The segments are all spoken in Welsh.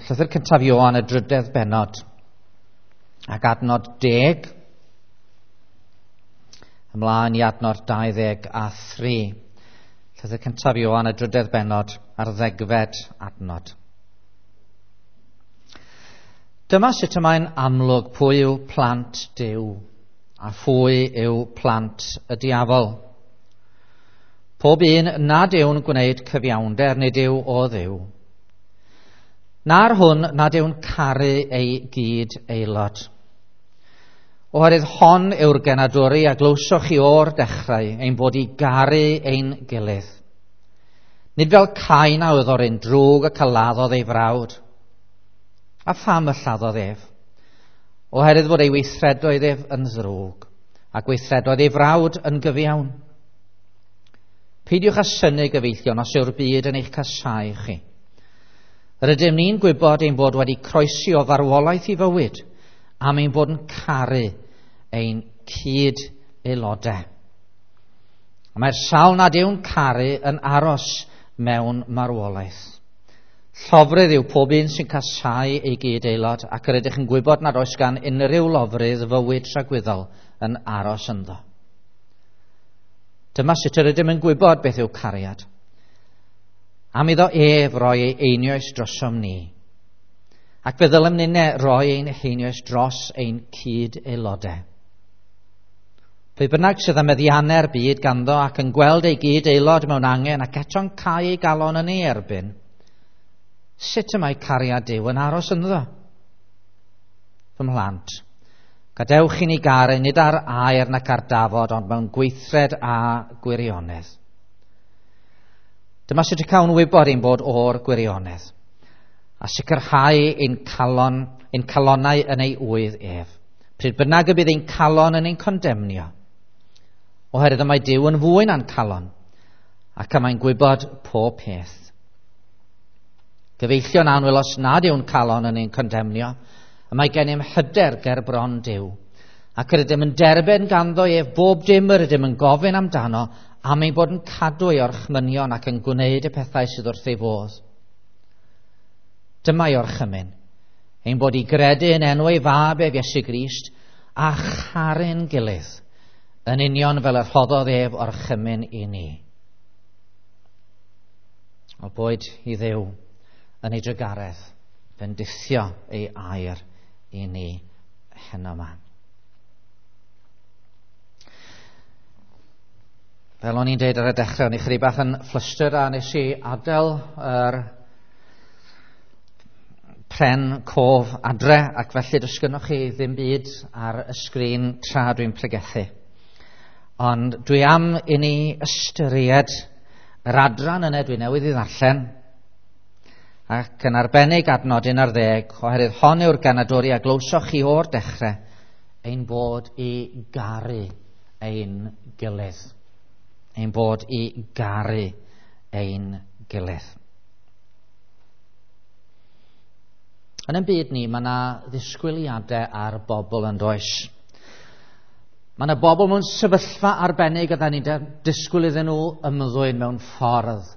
Llythyr cyntaf Ioan, y drydedd bennod, ac adnod 10, ymlaen i adnod 23. Llythyr cyntaf Ioan, y drydedd bennod, a'r 10fed adnod. Dyma sut y mae'n amlwg pwy yw plant Duw a phwy yw plant y diafol. Pob un nad yw'n gwneud cyfiawnder nid yw o Dduw. Na'r hwn nad yw'n caru ei gyd aelod. Oherwydd hon yw'r genadwri a glywsoch chi o'r dechrau, ein bod i garu ein gilydd. Nid fel Cain a oedd o'r un drwg ac a laddodd ei frawd. A pham y lladdodd ef? Oherwydd fod ei weithredoedd ef yn ddrwg, a gweithredoedd ei frawd yn gyfiawn. Peidiwch â synnu, gyfeillion, os yw'r byd yn eich casáu chi. Rydym ni'n gwybod ein bod wedi croesi o farwolaeth i fywyd, am ein bod yn caru ein cyd-aelodau. Mae'r sawl nad yw'n caru yn aros mewn marwolaeth. Llofrudd yw pob un sy'n casáu ei gyd-aelod, ac yr ydych yn gwybod nad oes gan unrhyw lofrudd fywyd tragwyddol yn aros ynddo. Dyma sut yr ydym yn gwybod beth yw cariad. Am iddo ef roi ei einioes drosom ni. Ac fe ddylem ninne roi ein heinioes dros ein cyd-aelodau. Pwy bynnag sydd â meddiannau'r byd ganddo ac yn gweld ei gyd-aelod mewn angen ac eto'n cau ei galon yn ei erbyn, sut y mae cariad Duw yn aros ynddo? Fy mhlant, gadewch i ni garu nid ar air nac ar dafod, ond mewn gweithred a gwirionedd. Dyma sut y cawn wybod ein bod o'r gwirionedd, a sicrhau ein calon, ein calonnau yn ei ŵydd ef. Pryd bynnag y bydd ein calon yn ein condemnio, oherwydd y mae Duw yn fwy na'n calon, ac y mae'n gwybod pob peth. Gyfeillion annwyl, os nad yw'n calon yn ein condemnio, y mae gennym hyder ger bron Duw, ac yr ydym yn derbyn ganddo ef bob dim yr ydym yn gofyn amdano, am ein bod yn cadw ei orchmynion ac yn gwneud y pethau sydd wrth ei fodd. Dyma ei orchymyn, ein bod i gredu yn enw ei fab ef Iesu Grist, a charu'n gilydd, yn union fel y rhoddodd ef orchymyn i ni. O boed i Dduw yn ei drugaredd fendithio ei air i ni heno yma. Fel o'n i'n deud ar y dechrau, o'n i chydig bach yn flustered a nes i adael yr pren cof adre, ac felly does gynnoch chi ddim byd ar y sgrin tra dwi'n pregethu. Ond dwi am i ni ystyried yr adran yna dwi newydd i ddarllen, ac yn arbennig adnod 11, oherwydd hon yw'r ganadwri a glywsoch chi o'r dechrau, ein bod i garu ein gilydd. Ein bod i garu ein gilydd. Yn ein byd ni, mae yna ddisgwyliadau ar bobl yn does. Mae yna bobl mewn sefyllfa arbennig a da ni'n disgwyl iddyn nhw ymddwyn mewn ffordd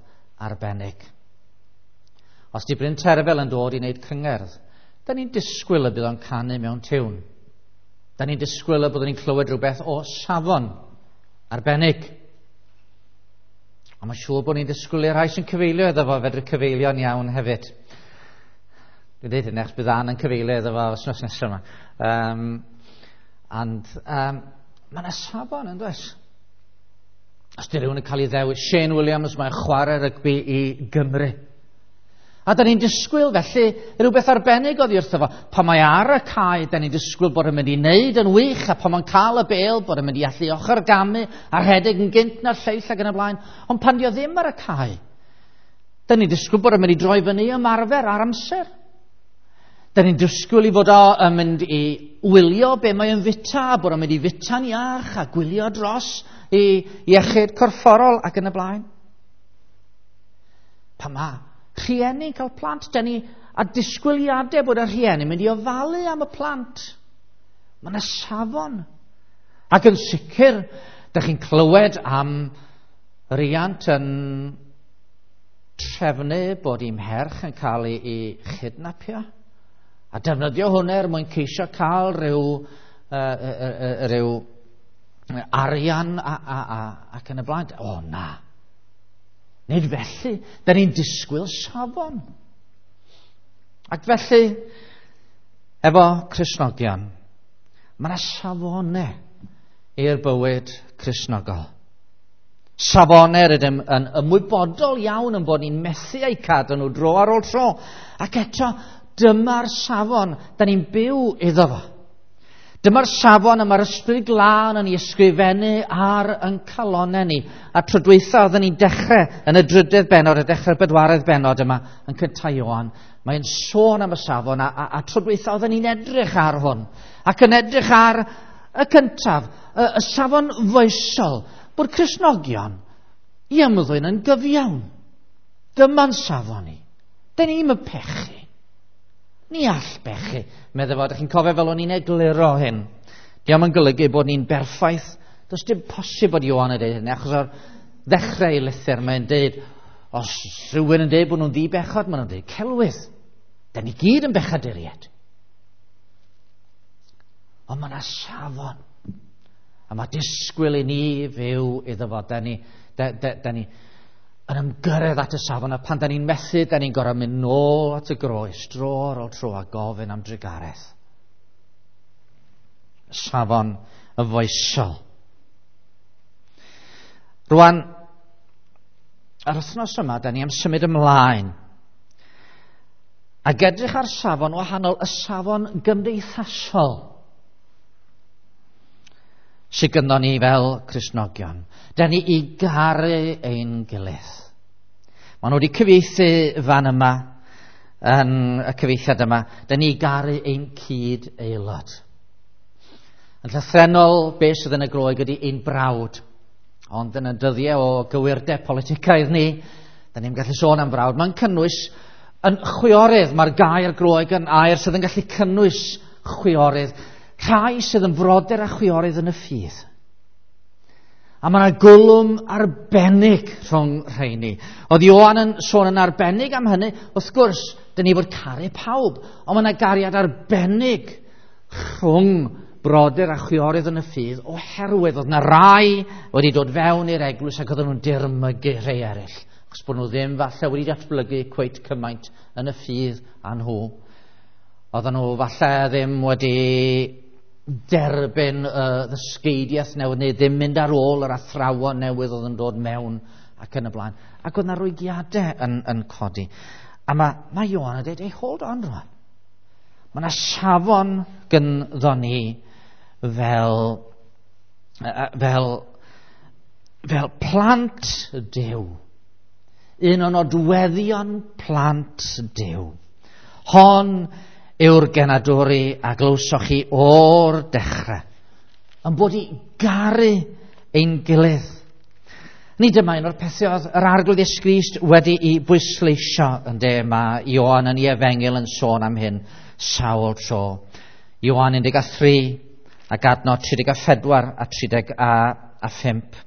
arbennig. Os di Bryn Terfel yn dod i wneud cyngerdd, da ni'n disgwyl y bydd o'n canu mewn tiwn. Da ni'n disgwyl y byddwn ni'n clywed rhywbeth o safon arbennig. A mae'n siŵr bod ni'n disgwyl i'r rhai sy'n cyfeilio iddo fo fedru cyfeilio'n iawn hefyd. Dwi'n dweud hynny achos bydd Ann yn cyfeilio iddo fo wythnos nesaf yma. Mae yna safon yn does? Os di rhywun yn cael ei ddewis, Shane Williams, mae'n chwarae rygbi i Gymru. A da ni'n disgwyl felly rhywbeth arbennig oddi wrtho fo. Pan mae ar y cae, da ni'n disgwyl bod yn mynd i wneud yn wych, a pan mae'n cael y bêl, bod yn mynd i allu ochr gamu a rhedeg yn gynt na'r lleill ac yn y blaen. Ond pan di o ddim ar y cae, da ni'n disgwyl bod yn mynd i droi fyny ymarfer ar amser. Da ni'n disgwyl i fod o yn mynd i wylio be mae yn fita, bod o'n mynd i fita'n iach a gwylio dros i iechyd corfforol ac yn y blaen. Pan mae rhieni'n cael plant, da ni a disgwyliadau bod y rhieni'n mynd i ofalu am y plant. Mae yna safon. Ac yn sicr, da chi'n clywed am riant yn trefnu bod ei mherch yn cael ei chydnapio a defnyddio hwnna er mwyn ceisio cael rhyw arian ac yn y blaen. O na. Nid felly. Da ni'n disgwyl safon. Ac felly, efo Cristnogion, mae yna safonau i'r bywyd Cristnogol. Safonau rydym yn ymwybodol iawn yn bod ni'n methu eu cadw nhw dro ar ôl tro. Ac eto, dyma'r safon da ni'n byw iddo fo. Dyma'r safon y mae'r Ysbryd Glân yn ei ysgrifennu ar yn calonau ni. A tro dwytha oedden ni'n dechrau yn y drydedd bennod, y dechrau'r bedwaredd bennod yma yn cyntaf Ioan. Mae'n sôn am y safon a tro dwytha oedden ni'n edrych ar hwn. Ac yn edrych ar y cyntaf, y safon foesol, bod Cristnogion i ymddwyn yn gyfiawn. Dyma'n safon ni. Da ni'm yn pechu. Ni all bechu. Meddai fo, dych chi'n cofio fel o'n i'n egluro hyn. Dio'm yn golygu bod ni'n berffaith. Does dim posib bod Ioan yn deud hynny, achos o'r ddechrau ei lythyr mae'n deud, os rhywun yn deud bod nhw'n ddi-bechod, maen nhw'n deud celwydd. Da ni gyd yn bechaduriaid. Ond mae yna safon. A mae disgwyl i ni fyw iddo fo. Da ni yn ymgyrraedd at y safon, a pan da ni'n methu, da ni'n gorfod mynd nôl at y groes, dro ar ôl tro, a gofyn am drugaredd. Safon y foesol. Rwan, yr wythnos yma, da ni am symud ymlaen ac edrych ar safon wahanol, y safon gymdeithasol sydd gynnon ni fel Cristnogion. Da ni i garu ein gilydd. Maen nhw wedi cyfieithu fan yma, yn y cyfieithiad yma, da ni i garu ein cyd-aelod. Yn llythrennol, beth sydd yn y Groeg ydy ein brawd. Ond yn y dyddiau o gywirdeb politicaidd ni, da ni'n gallu sôn am frawd. Mae'n cynnwys yn chwiorydd. Mae'r gair Groeg yn air sydd yn gallu cynnwys chwiorydd. Rhai sydd yn frodyr a chwiorydd yn y ffydd. A mae yna gwlwm arbennig rhwng rheini. Oedd Ioan yn sôn yn arbennig am hynny. Wrth gwrs, dyn ni fod caru pawb, ond mae yna gariad arbennig rhwng brodyr a chwiorydd yn y ffydd, oherwydd oedd yna rai wedi dod fewn i'r eglwys ac oedden nhw'n dirmygu rhai eraill, achos bod nhw ddim falle wedi datblygu cweit cymaint yn y ffydd â nhw. Oedden nhw falle ddim wedi derbyn y ddysgeidiaeth newydd, neu ddim mynd ar ôl yr athrawon newydd oedd yn dod mewn ac yn y blaen. Ac oedd yna rwygiadau yn codi. A mae Ioan yn dweud, hey, hold on rwan. Mae yna safon gynddo ni fel plant Duw. Un o'n nodweddion plant Duw. Hon yw'r genadwri a glywsoch chi o'r dechrau, yn bod i garu ein gilydd. Nid dyma un o'r pethau oedd yr Arglwydd Iesu Grist wedi'i bwysleisio, ynde, mae Ioan yn ei efengyl yn sôn am hyn sawl tro. Ioan 13 ac adnod 34 a 35.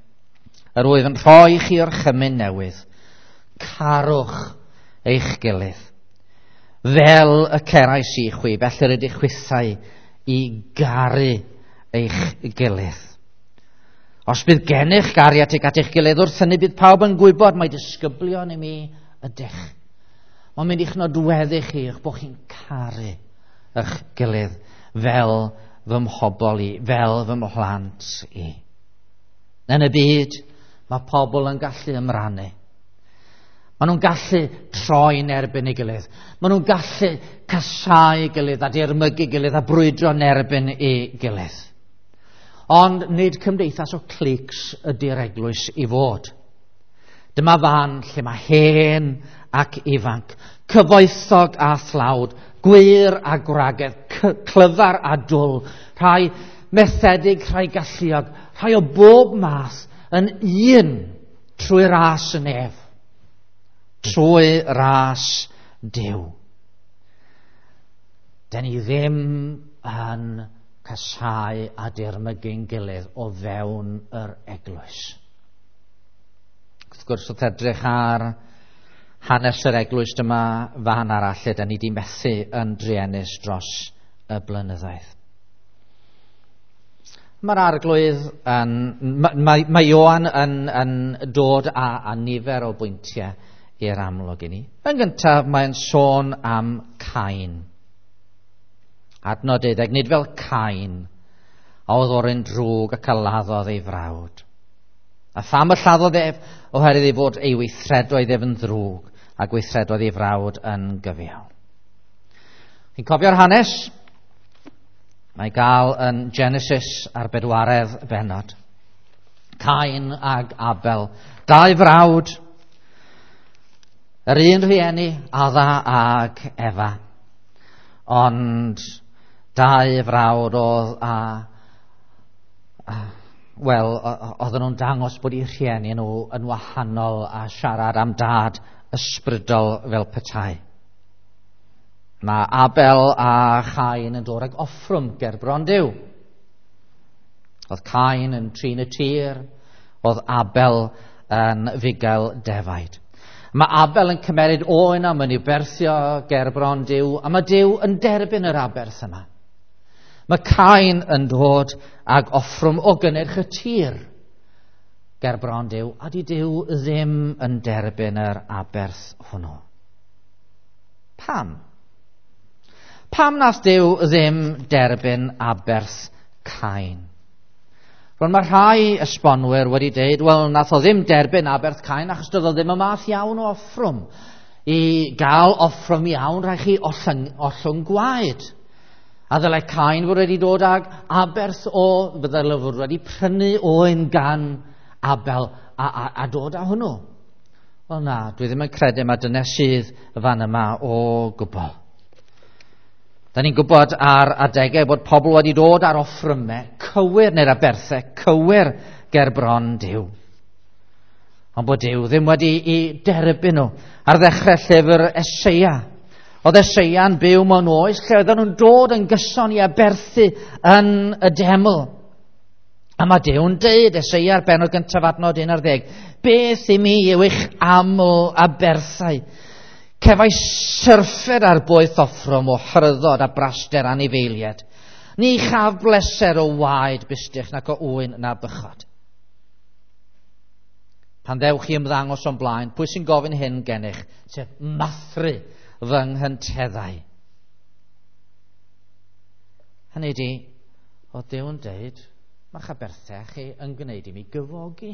Yr wyf yn rhoi chi orchymyn newydd, carwch eich gilydd. Fel y cerais i chwi, felly rydych chwithau i garu eich gilydd. Os bydd gennych gariad tuag at eich gilydd, wrth hynny bydd pawb yn gwybod mai disgyblion i mi ydych. Mae'n mynd i'ch nodweddu chi, eich bod chi'n caru eich gilydd fel fy mhobol i, fel fy mhlant i. Yn y byd, mae pobl yn gallu ymrannu. Maen nhw'n gallu troi'n erbyn ei gilydd. Maen nhw'n gallu casáu ei gilydd a dirmygu ei gilydd a brwydro'n erbyn ei gilydd. Ond nid cymdeithas o cliques ydy'r eglwys i fod. Dyma fan lle mae hen ac ifanc, cyfoethog a thlawd, gwŷr a gwragedd, clyfar a dwl, rhai methedig, rhai galluog, rhai o bob math yn un trwy ras y nef, trwy ras Duw. Da ni ddim yn casáu a dirmygu'n gilydd o fewn yr eglwys. Wrth gwrs, wrth edrych ar hanes yr eglwys, dyma fan arall lle da ni wedi methu yn druenus dros y blynyddoedd. Mae'r arglwydd yn... Mae Ioan yn dod â nifer o bwyntiau i'r amlwg i ni. Yn gyntaf, mae'n sôn am Cain. Adnod 12, nid fel Cain, a oedd o'r un drwg ac a laddodd ei frawd. A pham y lladdodd ef? Oherwydd ei fod ei weithredoedd ef yn ddrwg a gweithredoedd ei frawd yn gyfiawn. Chi'n cofio'r hanes? Mae gael yn Genesis ar 4 bennod. Cain ag Abel, dau frawd, yr un rhieni, Adda ag Efa. Ond dau frawd oedd wel, oedden nhw'n dangos bod eu rhieni nhw yn wahanol a siarad am dad ysbrydol fel petai. Mae Abel a Chain yn dod ag offrwm ger bron Duw. Oedd Cain yn trin y tir, oedd Abel yn fugail defaid. Mae Abel yn cymeryd oen a mae'n i'w berthio ger bron Duw, a mae Duw yn derbyn yr aberth yma. Mae Cain yn dod ag offrwm o gynnyrch y tir ger bron Duw, a di Duw ddim yn derbyn yr aberth hwnnw. Pam? Pam nath Duw ddim derbyn aberth Cain? Rwan mae rhai esbonwyr wedi deud, wel, nath o ddim derbyn aberth Cain achos doedd o ddim y math iawn o offrwm. I gael offrwm iawn, rhaid chi ollwng gwaed. A ddylai Cain fod wedi dod ag aberth o, ddylai fod wedi prynu oen gan Abel a dod â hwnnw. Wel na, dwi ddim yn credu mae dyna sydd fan yma o gwbl. Da ni'n gwybod ar adegau bod pobl wedi dod ar offrymau cywir neu'r aberthau cywir ger bron Duw. Ond bod Duw ddim wedi i derbyn nhw. Ar ddechrau llyfr Eseia. Oedd Eseia'n byw mewn oes lle oedden nhw'n dod yn gyson i aberthu yn y deml. A mae Duw'n deud, Eseia ar bennod gyntaf adnod 11, beth i mi yw eich aml aberthau? Cefais syrffed ar boeth offrwm o hyrddod a braster anifeiliaid. Ni chaf bleser o waed bustych nac o ŵyn na bychod. Pan ddewch chi ymddangos o'n blaen, pwy sy'n gofyn hyn gennych? Sef mathru fy nghynteddau. Hynny ydi, oedd Duw yn deud, mae'ch aberthau chi yn gwneud i mi gyfogi.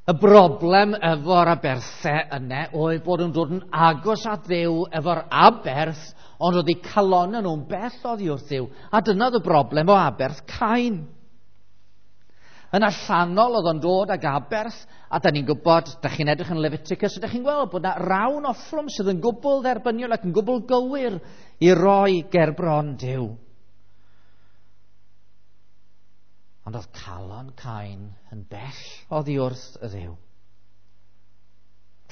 Y broblem efo'r aberthau yna oedd bod yn dod yn agos at Dduw efo'r aberth, ond oedd eu calonnau nhw'n bell oddi wrth Dduw. A dyna oedd y broblem o aberth Cain. Yn allanol oedd o'n dod ag aberth, a da ni'n gwybod, da chi'n edrych yn Leviticus, a da chi'n gweld bod na rawn offrwm sydd yn gwbl dderbyniol ac yn gwbl gywir i roi ger bron Duw. Ond oedd calon Cain yn bell oddi wrth y Dduw.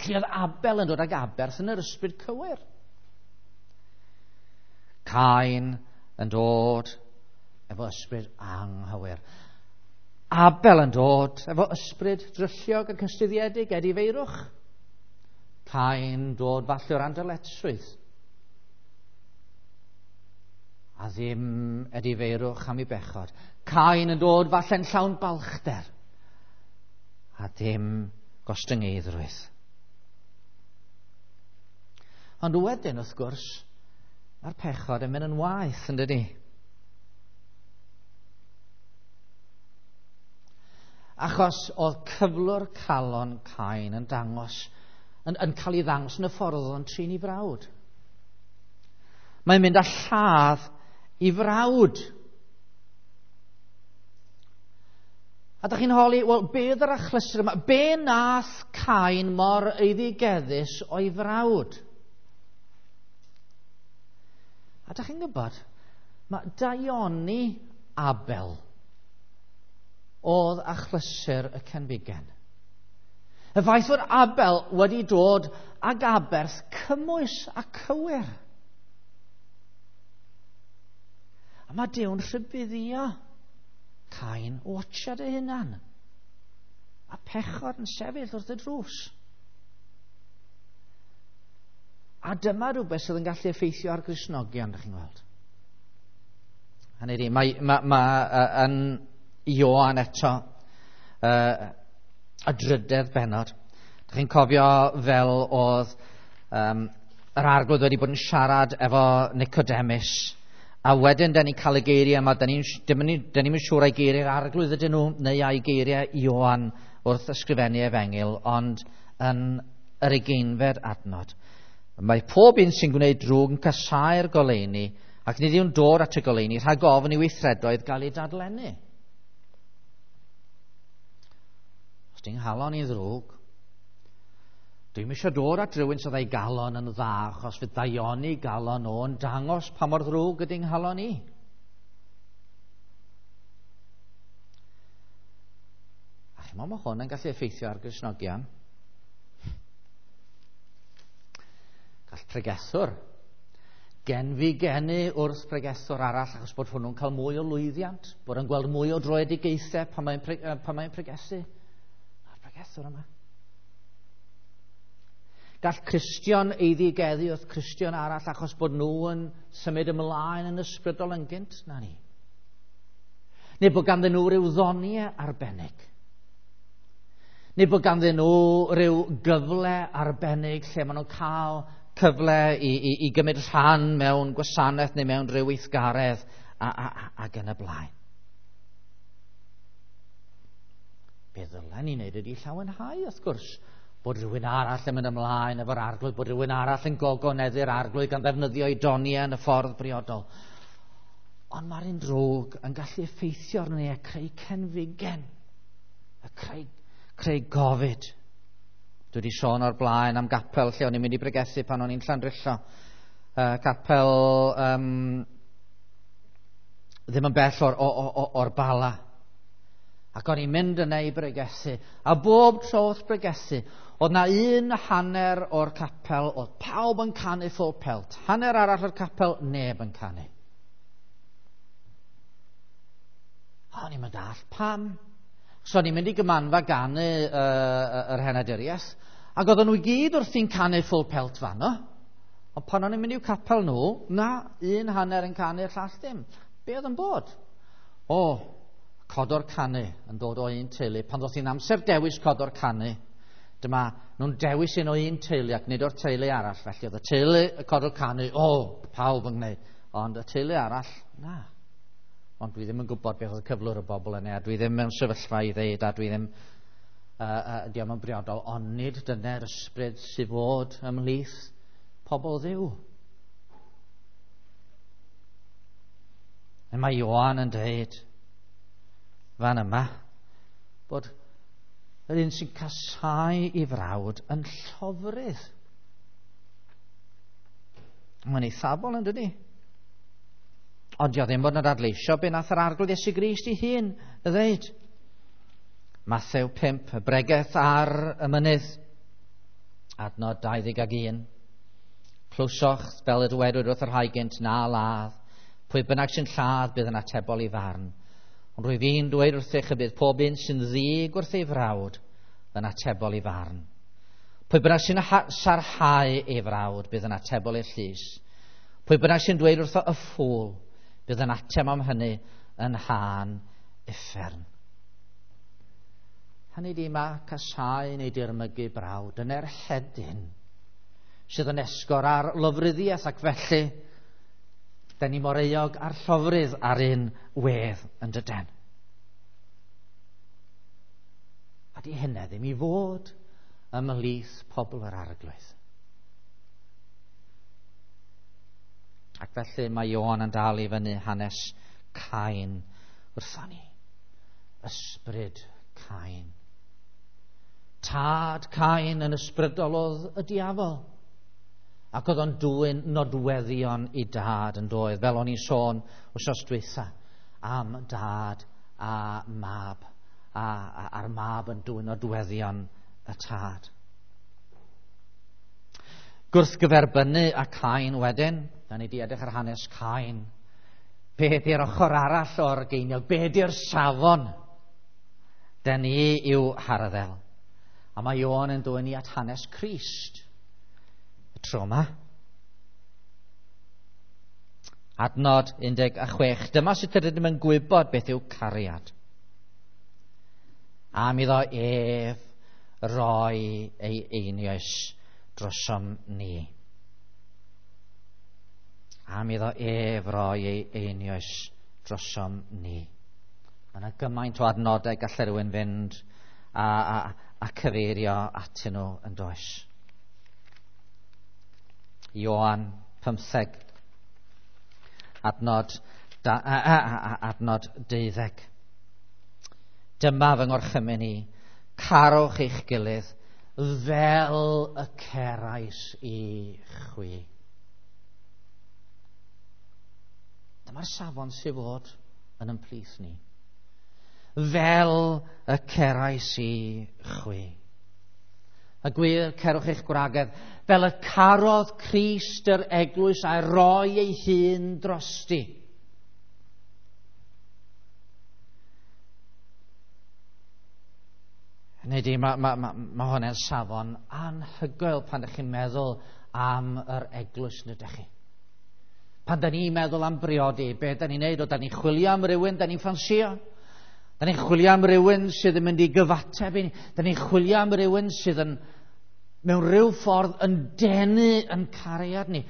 Lle oedd Abel yn dod ag aberth yn yr ysbryd cywir. Cain yn dod efo ysbryd anghywir. Abel yn dod efo ysbryd drylliog ac ystuddiedig, edifeirwch. Cain dod falle o'r andyletswydd. A ddim edifeirwch am ei bechod. Cain yn dod falle'n llawn balchder. A ddim gostyngeiddrwydd. Ond wedyn, wrth gwrs, mae'r pechod yn mynd yn waeth, yn dydi? Achos oedd cyflwr calon Cain yn dangos, yn cael ei ddangos yn y ffordd oedd o'n trin ei frawd. Mae'n mynd â lladd i frawd. A da chi'n holi, wel, be oedd yr achlysur yma? Be nath Cain mor eiddigeddus o'i frawd? A da chi'n gwybod, mae daioni Abel oedd achlysur y cenfigen. Y ffaith fod Abel wedi dod ag aberth cymwys a cywir. A mae Duw'n rhybuddio Cain, watcha dy hunan. A pechod yn sefyll wrth y drws. A dyma rhywbeth sydd yn gallu effeithio ar Gristnogion, ydych chi'n gweld. Hynny ydi, mae yn Ioan eto, y drydedd bennod. Ydych chi'n cofio fel oedd yr Arglwydd wedi bod yn siarad efo Nicodemus, a wedyn da ni'n cael y geiriau yma, da ni'n siŵr ai geiriau'r Arglwydd ydyn nhw, neu ai geiriau Ioan wrth ysgrifennu efengyl, ond yn yr 20fed adnod. Mae pob un sy'n gwneud drwg yn casáu'r goleuni, ac nid yw'n dod at y goleuni rhag ofn i weithredoedd gael ei dadlennu. Os di'n nghalon i ddrwg, dwi'm eisiau dod at rhywun sydd â'i galon yn dda, achos fydd daioni galon o'n dangos pa mor ddrwg ydy'n nghalon i. A chimod, mae hwn yn gallu effeithio ar Gristnogion. Gall pregethwr genfigenu wrth pregethwr arall achos bod hwnnw'n cael mwy o lwyddiant, bod yn gweld mwy o droedigaethau pan mae'n pregethu. A'r pregethwr yma. Gall Cristion eiddigeddu wrth Cristion arall achos bod nhw yn symud ymlaen yn ysbrydol yn gynt na ni. Neu bod ganddyn nhw ryw ddoniau arbennig. Neu bod ganddyn nhw ryw gyfle arbennig lle maen nhw'n cael cyfle i gymryd rhan mewn gwasanaeth neu mewn rhyw weithgaredd ac yn y blaen. Be ddylen ni wneud ydy llawenhau, wrth gwrs, bod rhywun arall yn mynd ymlaen efo'r Arglwydd, bod rhywun arall yn gogoneddu'r Arglwydd gan ddefnyddio ei doniau yn y ffordd briodol. Ond mae'r un drwg yn gallu effeithio arno ni a creu cenfigen, a creu gofid. Dwi wedi sôn o'r blaen am gapel lle o'n i'n mynd i bregethu pan o'n i'n Llandrillo. Capel ddim yn bell o'r Bala. Ac o'n i'n mynd yna i bregethu. A bob tro wrth bregethu, oedd na un hanner o'r capel, oedd pawb yn canu full pelt. Hanner arall o'r capel, neb yn canu. O'n i'n mynd all pam. So o'n i'n mynd i gymanfa ganu yr henaduriaeth, ac oedden nhw i gyd wrthi'n canu full pelt fanno. Ond pan o'n i'n mynd i'w capel nhw, na, un hanner yn canu'r llall ddim. Be oedd yn bod? O, codor canu yn dod o un teulu. Pan ddoth hi'n amser dewis codor canu, dyma nhw'n dewis un o un teulu ac nid o'r teulu arall. Felly oedd y teulu y codor canu, o, pawb yn gwneud. Ond y teulu arall, na. Ond dwi ddim yn gwybod beth oedd y cyflwr y bobl yna, a dwi ddim mewn sefyllfa i ddeud, a dwi ddim, diolch yn briodol, ond nid dyna'r ysbryd sydd fod ymhlith pobl Dduw. A mae Ioan yn dweud fan yma bod yr un sy'n casáu ei frawd yn llofrudd. Mae'n eithafol yn dydi? Ond dio ddim bod yn adleisio be nath yr Arglwydd Iesu Grist ei hun y ddeud. Mathew 5, y bregeth ar y mynydd, adnod 21. Clywsoch fel y dywedwyd wrth yr rhai gynt, na ladd. Pwy bynnag sy'n lladd bydd yn atebol i farn. Ond rwyf i'n dweud wrthych y bydd pob un sy'n ddig wrth ei frawd yn atebol i farn. Pwy bynnag sy'n sarhau ei frawd bydd yn atebol i'r llys. Pwy bynnag sy'n dweud wrtho y ffŵl bydd yn ateb am hynny yn han uffern. Hynny di mae casáu neu dirmygu brawd yn erhedyn sydd yn esgor ar lofruddiaeth, ac felly da ni mor euog a'r llofrudd ar un wedd yn dyden. A di hynna ddim i fod ymhlith pobl yr Arglwydd. Ac felly mae Ioan yn dal i fyny hanes Cain wrthon ni. Ysbryd Cain. Tad Cain yn ysbrydol oedd y diafol. Ac oedd o'n dwyn nodweddion i dad yn doedd, fel o'n i'n sôn wythnos dwytha am dad a mab, a'r mab yn dwyn nodweddion y tad. Gwrthgyferbynnu a Cain wedyn, da ni di edrych ar hanes Cain. Be di'r ochr arall o'r geiniog? Be di'r safon? Da ni yw harddel. A mae Ioan yn dwyn ni at hanes Crist. Y tro yma. Adnod 16. Dyma sut ydym yn gwybod beth yw cariad. Am iddo ef roi ei einioes drosom ni. Am iddo ef roi ei einioes drosom ni. Mae yna gymaint o adnodau gallai rhywun fynd a cyfeirio atyn nhw yn does. Ioan 15, adnod 12. Dyma fy ngorchymyn i, carwch eich gilydd fel y cerais i chwi. Dyma'r safon sydd fod yn ymplith ni. Fel y cerais i chwi. A gwir, cerwch eich gwragedd, fel y carodd Crist yr eglwys a'i roi ei hun drosti. Hynny ydi, mae hwnna'n safon anhygoel pan ydych chi'n meddwl am yr eglwys, nid ydych chi. Pan da ni'n meddwl am briodi, be da ni'n neud? O, da ni'n chwilio am rywun, da ni'n ffansio. Da ni'n chwilio am rywun sydd yn mynd i gyfateb i ni. Da ni'n chwilio am rywun sydd yn, mewn rhyw ffordd, yn denu yn cariad ni.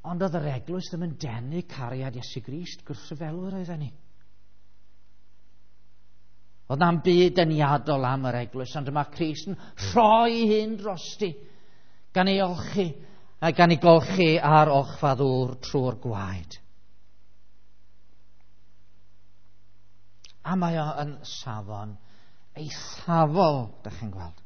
Ond oedd yr eglwys ddim yn denu cariad Iesu Grist, gwrthryfelwyr oedden ni. Oedd na'm byd deniadol am yr eglwys, ond dyma Crist yn rhoi hyn drosti, gan ei olchi, a gan ei golchi ar olchfa ddŵr trwy'r gwaed. A mae o yn safon eithafol, dach chi'n gweld.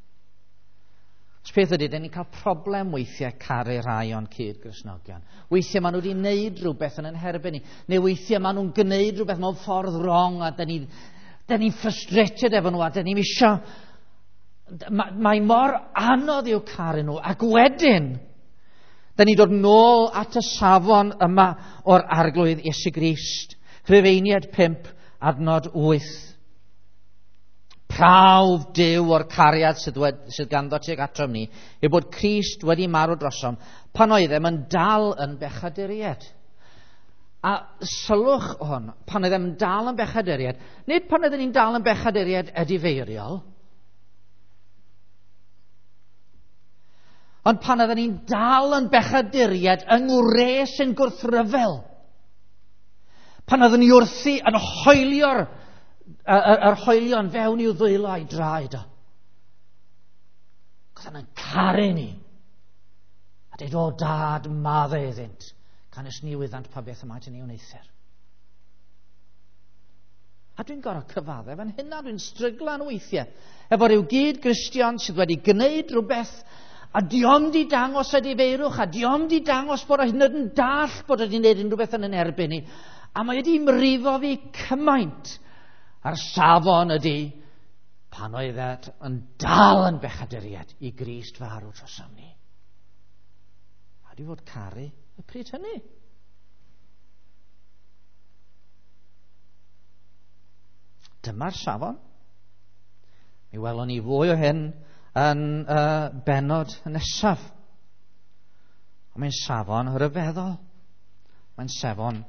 Os peth ydy, dyn ni'n cael problem weithiau caru rhai o'n cyd-Gristnogion. Weithiau maen nhw wedi gwneud rhywbeth yn herbyn ni, neu weithiau maen nhw'n gwneud rhywbeth mewn ffordd wrong, a dyn ni'n frustrated efo nhw, a dyn ni'n isio... Mae mor anodd i'w caru nhw, ac wedyn, dyn ni'n dod nôl at y safon yma o'r Arglwydd Iesu Grist. Rhufeiniaid 5, adnod 8. Prawf Duw o'r cariad sydd ganddo tuag atom ni yw bod Crist wedi marw drosom pan oeddem yn dal yn bechaduriaid. A sylwch hwn, pan oeddem yn dal yn bechaduriaid, nid pan oeddem ni'n dal yn bechaduriaid edifeiriol, ond pan oeddem ni'n dal yn bechaduriaid yng ngwres yn gwrthryfel. Pan oeddwn ni wrthi yn hoelio'r yr hoelion fewn i'w ddwylo a'i draed o. Oedd yn caru ni. A dweud, o dad, madde iddynt, canys ni wyddant pa beth y maent yn ei wneuthur. A dwi'n gorfod cyfaddef yn hynna, dwi'n stryglan weithiau efo rhyw gyd-Gristion sydd wedi gwneud rhywbeth a diom di dangos edifeirwch, a diom di dangos bod o hyd yn oed yn dall bod o wedi gwneud unrhyw beth yn yn erbyn ni. A mae wedi mrifo fi cymaint. A'r safon ydy pan oedd yn dal yn bechaduriaid i Grist farw drosom ni. A di fod caru y pryd hynny. Dyma'r safon. Mi welwn ni fwy o hyn yn y bennod nesaf. Ond mae'n safon rhyfeddol. Mae'n safon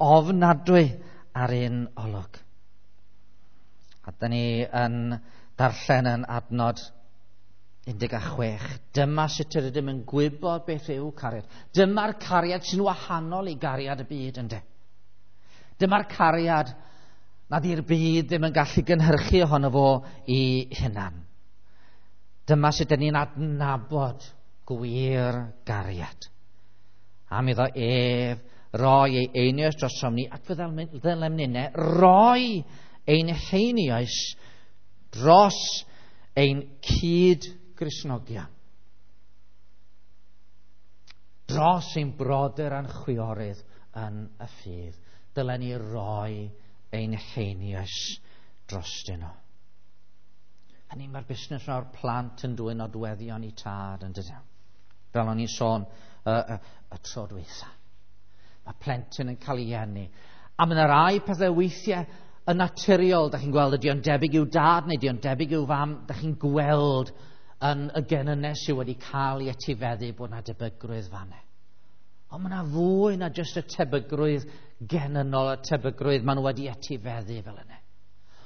ofnadwy ar un olwg. A da ni yn darllen yn adnod 16. Dyma sut yr ydym yn gwybod beth yw cariad. Dyma'r cariad sy'n wahanol i gariad y byd, ynde. Dyma'r cariad nad yw'r byd ddim yn gallu gynhyrchu ohono fo i hunan. Dyma sut ydyn ni'n adnabod gwir gariad. Am iddo ef roi ei einioes drosom ni, ac fe ddylem ninne roi ein heinioes dros ein cyd-Gristnogion. Dros ein brodyr a'n chwiorydd yn y ffydd. Dylen ni roi ein heinioes drostyn nhw. Hynny mae'r busnes o'r plant yn dwyn nodweddion i tad yn dydyn. Fel o'n i'n sôn y tro dwytha. Mae plentyn yn cael ei eni. A mae yna rai pethau weithiau yn naturiol, da chi'n gweld ydy o'n debyg i'w dad neu ydy o'n debyg i'w fam, da chi'n gweld yn y genynau sydd wedi cael ei etifeddu bod yna debygrwydd fanne. Ond mae yna fwy na jyst y tebygrwydd genynol, y tebygrwydd maen nhw wedi etifeddu fel yna.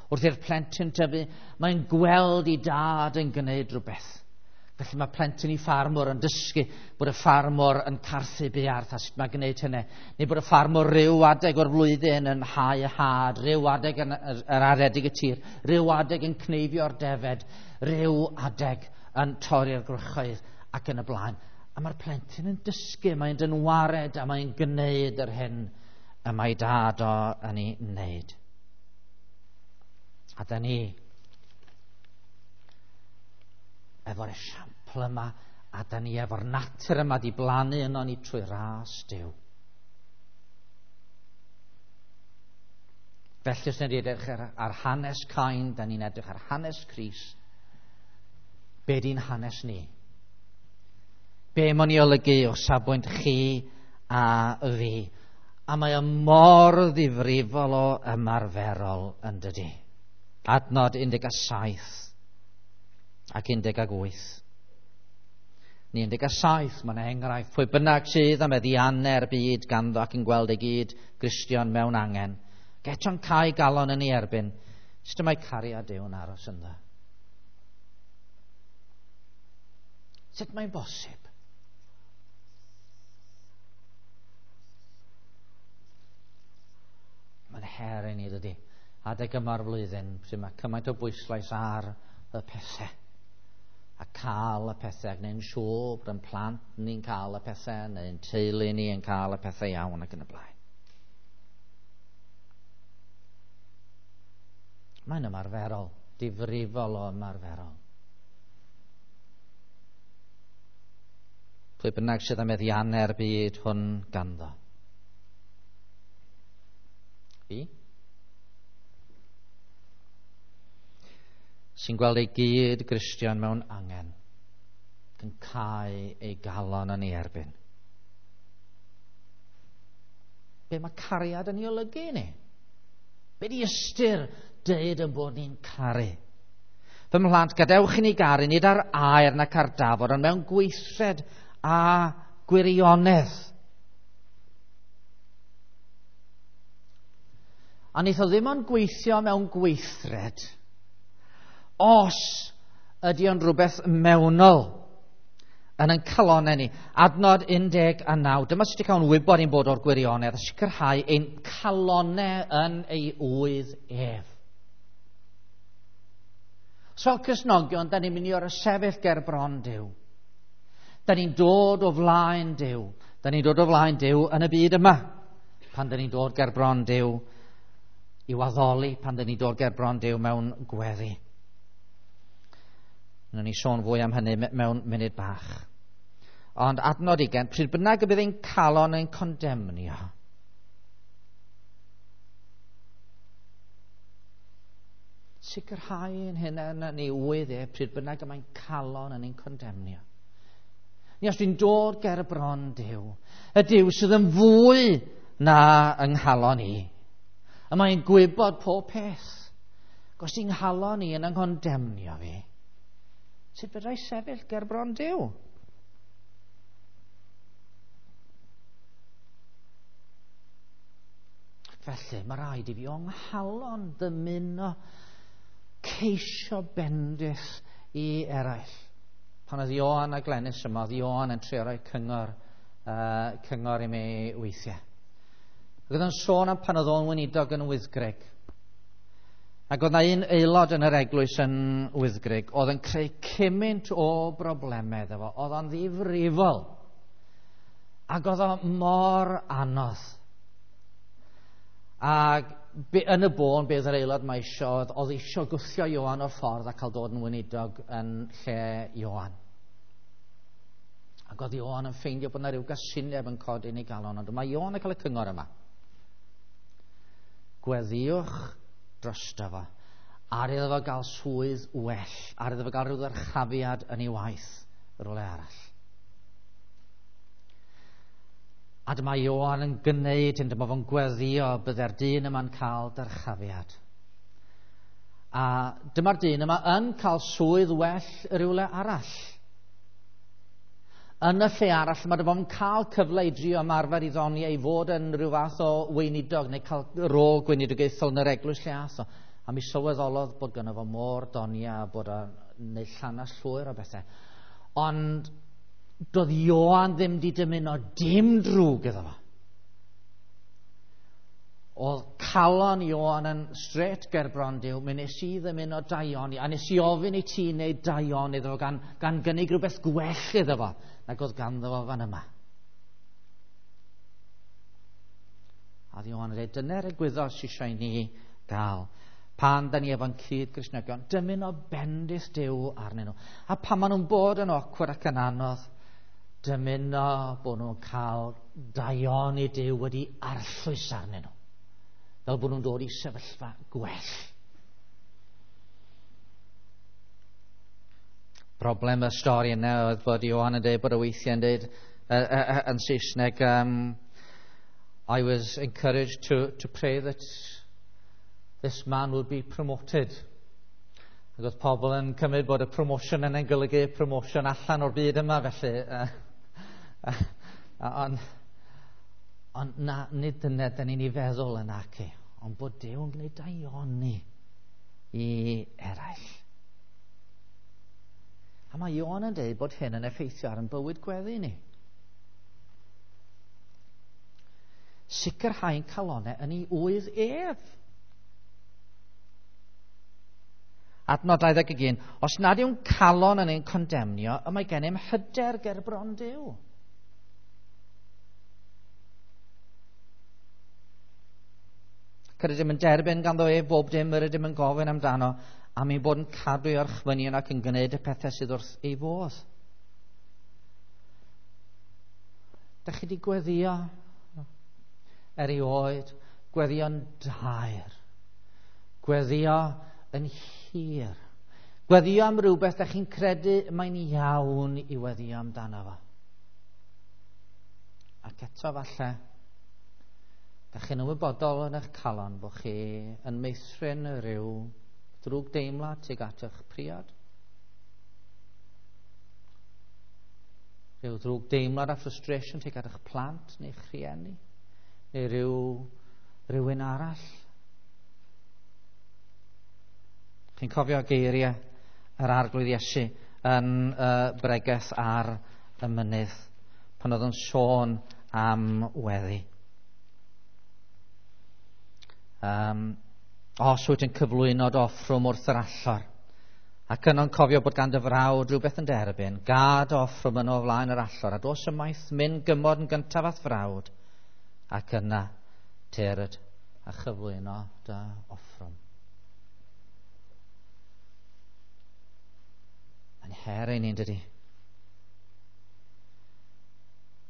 Wrth i'r plentyn tyfu, mae'n gweld ei dad yn gwneud rhywbeth. Felly mae plentyn i ffarmwr yn dysgu bod y ffarmwr yn carthu buarth a sut mae gwneud hynny. Neu bod y ffarmwr rhyw adeg o'r flwyddyn yn hau y had, rhyw adeg yn yr aredig y tir, rhyw adeg yn cneifio'r defed, rhyw adeg yn torri'r gwrychoedd ac yn y blaen. A mae'r plentyn yn dysgu, mae'n dynwared a mae'n gwneud yr hyn y mae dad o yn ei wneud. A da ni efo'r esiampl yma, a da ni efo'r natur yma di blannu yno ni trwy ras Duw. Felly os ni'n edrych ar hanes Cain, da ni'n edrych ar hanes Crist. Be di'n hanes ni? Be mae'n ei olygu o safbwynt chi a fi? A mae o mor ddifrifol o ymarferol yn dydi. Adnod 17 ac 18. Ni 17, mae'n enghraifft. Pwy bynnag sydd am eddiannau'r byd ganddo ac yn gweld ei gyd Gristion mewn angen. Geto'n cau galon yn ei erbyn. Sut mae cariad Duw yn aros ynddo? Sut mae'n bosib? Mae'n her i ni, dydy. Adeg yma'r flwyddyn, pryd mae cymaint o bwyslais ar y pethau. A cael y pethau, ac neu'n siŵr bod yn plant ni'n cael y pethau, neu'n teulu ni yn cael y pethau iawn ac yn y blaen. Mae'n ymarferol, difrifol o ymarferol. Pwy bynnag sydd am meddiannau'r byd hwn ganddo. Fi? Sy'n gweld ei gyd Gristion mewn angen, yn cau ei galon yn ei erbyn. Be mae cariad yn ei olygu ni? Be di ystyr deud yn bod ni'n caru? Fy mhlant, gadewch i ni garu, nid ar air nac ar dafod, ond mewn gweithred a gwirionedd. A wnaeth o ddim ond gweithio mewn gweithred os ydy o'n rhywbeth mewnol yn ein calonnau ni. Adnod 19. Dyma sut y cawn wybod ein bod o'r gwirionedd a sicrhau ein calonnau yn ei ŵydd ef. So fel Cristnogion, da ni'n mynd i orsefyll ger bron Duw. Da ni'n dod o flaen Duw. Da ni'n dod o flaen Duw yn y byd yma. Pan da ni'n dod ger bron Duw i'w addoli, pan da ni'n dod ger bron Duw mewn gweddi. Wnawn ni sôn fwy am hynny mewn munud bach. Ond adnod 20, pryd bynnag y bydd ein calon yn condemnio, sicrhau ein hunain yn ei ŵydd e, pryd bynnag y mae'n calon yn ein condemnio. Ni os dwi'n dod ger y bron Duw, y Duw sydd yn fwy na yng nghalon i, y mae'n gwybod pob peth. Os i'n nghalon i yn yng nghondemnio fi, sut fedra i sefyll ger bron Duw? Felly, mae rhaid i fi o'n nghalon ddymuno ceisio bendith i eraill. Pan oedd Ioan a Glenys yma, oedd Ioan yn trio rhoi cyngor i mi weithiau. Ac oedd o'n sôn am pan oedd o'n weinidog yn Wyddgrug. Ac oedd na un aelod yn yr eglwys yn Wyddgrug oedd yn creu cymaint o broblemau iddo fo. Oedd o'n ddifrifol. Ac oedd o mor anodd. Ac yn y bôn, beth yr aelod mae isio, oedd isio gwthio Ioan o'r ffordd a cael dod yn weinidog yn lle Ioan. Ac oedd Ioan yn ffeindio bod yna rhyw gasineb yn codi yn ei galon, ond mae Ioan yn cael y cyngor yma. Gweddïwch drosto fo, ar iddo fo gael swydd well, ar iddo fo gael rhyw ddyrchafiad yn ei waith rhywle arall. A dyma Ioan yn gwneud hyn, dyma fo'n gweddio bydde'r dyn yma'n cael dyrchafiad. A dyma'r dyn yma yn cael swydd well rhywle arall. Yn y lle arall, mae fo'n cael cyfle i drio ymarfer i ddoniau i fod yn rhyw fath o weinidog neu cael rôl gweinidogaethol yn yr eglwys lle ath o. A mi sylweddolodd bod gynno fo môr doniau a bod o'n neud llanas llwyr o bethau. Ond doedd Ioan ddim di dymuno dim drwg iddo fo. Oedd calon Ioan yn straight ger bron Duw, mi nes i ddymuno daioni, a nes i ofyn i ti wneud daioni iddo fo gan gynnig rhywbeth gwell iddo fo nag oedd ganddo fo fan yma. A oedd Ioan yn dweud, dyna'r egwyddor sydd eisiau i ni gael. Pan da ni efo'n cyd Gristnogion, dymuno bendith Duw arnyn nhw. A pan maen nhw'n bod yn awkward ac yn anodd, dymuno bod nhw'n cael daioni Duw wedi arllwys arnyn nhw. Fel bod nhw'n dod i sefyllfa gwell. Broblem y stori yna oedd bod Ioan yn dweud bod y weithiau yn dweud yn Saesneg, I was encouraged to pray that this man would be promoted. Ac oedd pobl yn cymryd bod y promotion yna'n golygu promotion allan o'r byd yma, felly. Ond na, nid dyna da ni'n ei feddwl yn ac, ond bod Duw yn gwneud daioni i eraill. A mae Ioan yn dweud bod hyn yn effeithio ar ein bywyd gweddi ni. Sicrhau'n calonau yn ei ŵydd ef. Adnod 21, os nad yw'n calon yn ein condemnio, y mae gennym hyder ger bron Duw. Ac yr ydym yn derbyn ganddo ef bob dim yr ydym yn gofyn amdano, am ei bod yn cadw ei orchmynion ac yn gwneud y pethau sydd wrth ei fodd. Dach chi wedi gweddio erioed, gweddio'n daer, gweddio yn hir, gweddio am rhywbeth dach chi'n credu mae'n iawn i weddio amdano fo. Ac eto falle, dach chi'n ymwybodol yn eich calon bod chi yn meithrin rhyw drwg deimlad tuag at eich priod. Rhyw ddrwg deimlad a frustration tuag at eich plant neu'ch rhieni, neu rhywun arall. Chi'n cofio geiriau yr Arglwydd Iesu yn bregeth ar y mynydd, pan oedd yn sôn am weddi. Os wyt yn cyflwyno dy offrwm wrth yr allor, ac yno'n cofio bod gan dy frawd rhywbeth yn derbyn, gad offrwm yno o flaen yr allor, a dos ymaith mynd gymod yn gyntaf at frawd, ac yna tyrd a chyflwyno dy offrwm. Mae'n her i ni'n dydi.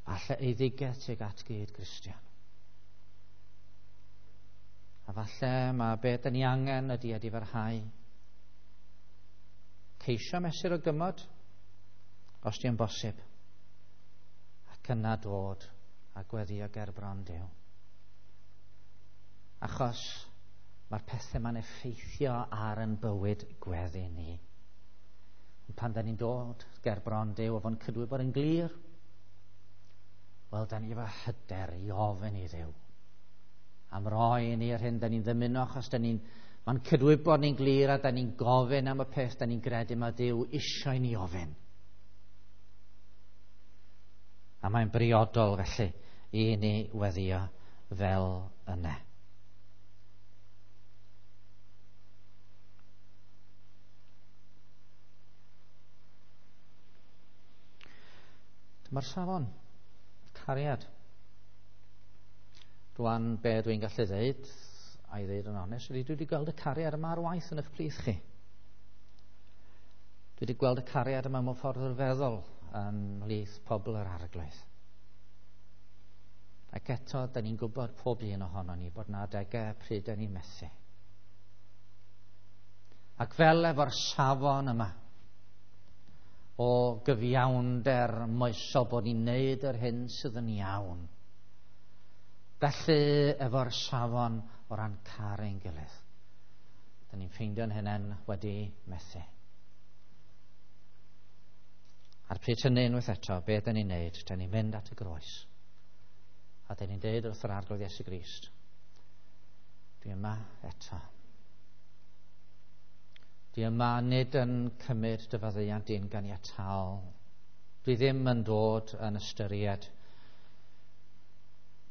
Falle eiddigedd tuag at gyd Gristion. A falle mae beth da ni angen ydy edifarhau. Ceisio mesur o gymod, os di'n bosib. Ac yna dod a gweddio ger bron Duw. Achos mae'r pethau ma'n effeithio ar yn bywyd gweddi ni. Ond pan da ni'n dod ger bron Duw a fo'n cydwybod yn glir, wel, da ni efo hyder i ofyn i Dduw am roi i ni yr hyn da ni'n ddymuno, achos da ni'n, mae'n cydwybod ni'n glir a da ni'n gofyn am y peth da ni'n gredu mae Duw eisiau ni ofyn. A mae'n briodol felly i ni weddio fel yna. Dyma'r safon, cariad. Rwan, be dwi'n gallu ddeud, a'i ddeud yn onest, ydy dwi wedi gweld y cariad yma ar waith yn eich plith chi. Dwi wedi gweld y cariad yma mewn ffordd rhyfeddol ym mhlith pobl yr Arglwydd. Ac eto, da ni'n gwybod pob un ohono ni bod na adegau pryd da ni'n methu. Ac fel efo'r safon yma o gyfiawnder moesol bod ni'n neud yr hyn sydd yn iawn, felly efo'r safon o ran caru'n gilydd, da ni'n ffeindio'n hunain wedi methu. A'r pryd hynny unwaith eto, be dyn ni'n neud? Dyn ni'n mynd at y groes. A dyn ni'n deud wrth yr Arglwydd Iesu Grist, dwi yma eto. Dwi yma nid yn cymryd dy faddeuant di'n ganiataol. Dwi ddim yn dod yn ystyried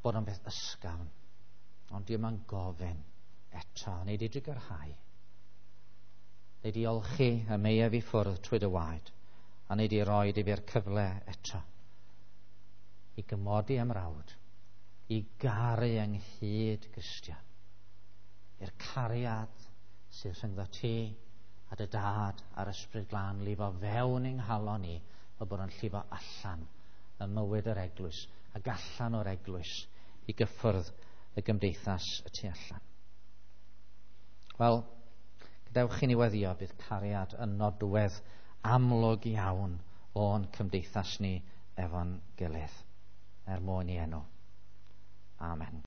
bod o'n beth ysgafn, ond dwi yma'n gofyn eto, neu di drigyrhau. Neu di olchi y meiaf i ffwrdd trwy dy waed, a neu di roi i fi'r cyfle eto i gymodi ymrawd, i garu ynghyd Gristion, i'r cariad sydd rhyngddo ti a dy dad a'r Ysbryd Glân lifo fewn yng nghalon ni, fel bod o'n llifo allan ym mywyd yr eglwys ac allan o'r eglwys i gyffwrdd y gymdeithas y tu allan. Wel, gadewch i ni weddio, bydd cariad yn nodwedd amlwg iawn o'n cymdeithas ni efo'n gilydd, er mwyn i enw. Amen.